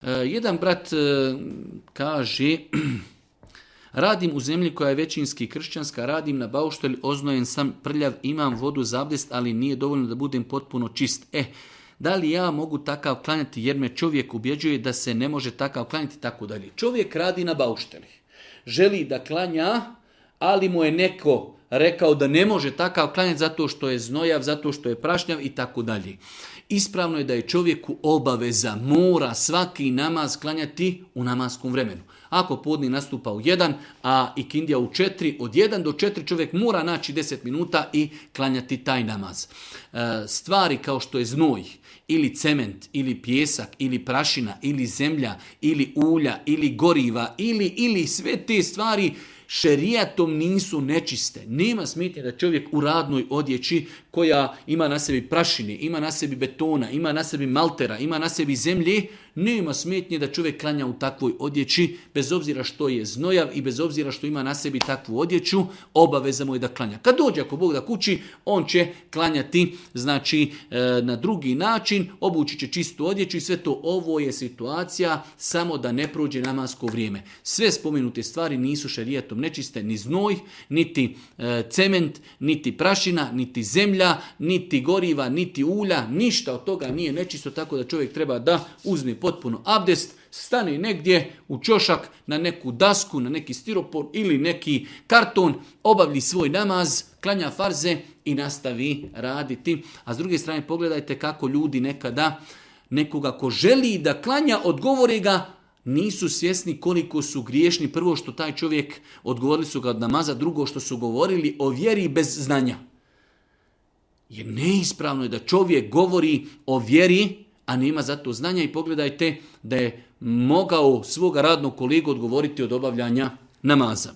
Jedan brat kaže, radim u zemlji koja je većinski kršćanska, radim na bauštelj, oznojen sam, prljav, imam vodu za abdest, ali nije dovoljno da budem potpuno čist. Da li ja mogu takav klanjati jer me čovjek ubjeđuje da se ne može takav klanjati, tako dalje. Čovjek radi na baušteli, želi da klanja, ali mu je neko rekao da ne može takav klanjati zato što je znojav, zato što je prašnjav i tako dalje. Ispravno je da je čovjeku obaveza, mora svaki namaz klanjati u namatskom vremenu. Ako podni nastupa u 1, a ikindija u 4, od 1 do 4 čovjek mora naći 10 minuta i klanjati taj namaz. Stvari kao što je znoj, ili cement, ili pjesak, ili prašina, ili zemlja, ili ulja, ili goriva, ili sve te stvari šerijatom nisu nečiste. Nema smetnje da čovjek u radnoj odjeći koja ima na sebi prašine, ima na sebi betona, ima na sebi maltera, ima na sebi zemlje, nema smetnje da čovjek klanja u takvoj odjeći, bez obzira što je znojav i bez obzira što ima na sebi takvu odjeću, obaveza mu je da klanja. Kad dođe, ako Bog da kući, on će klanjati na drugi način, obući će čistu odjeću i sve to. Ovo je situacija samo da ne prođe namasko vrijeme. Sve spomenute stvari nisu šerijatom nečiste, ni znoj, niti cement, niti prašina, niti zemlja, niti goriva, niti ulja, ništa od toga nije nečisto, tako da čovjek treba da uzme potpuno abdest, stane negdje u ćošak, na neku dasku, na neki stiropor ili neki karton, obavi svoj namaz, klanja farze i nastavi raditi. A s druge strane pogledajte kako ljudi nekada nekoga ko želi da klanja, odgovore ga, nisu svjesni koliko su griješni. Prvo što taj čovjek, odgovorili su ga od namaza, drugo što su govorili o vjeri bez znanja. Jer neispravno je da čovjek govori o vjeri, a nema za to znanja, i pogledajte da je mogao svoga radnog kolegu odgovoriti od obavljanja namaza.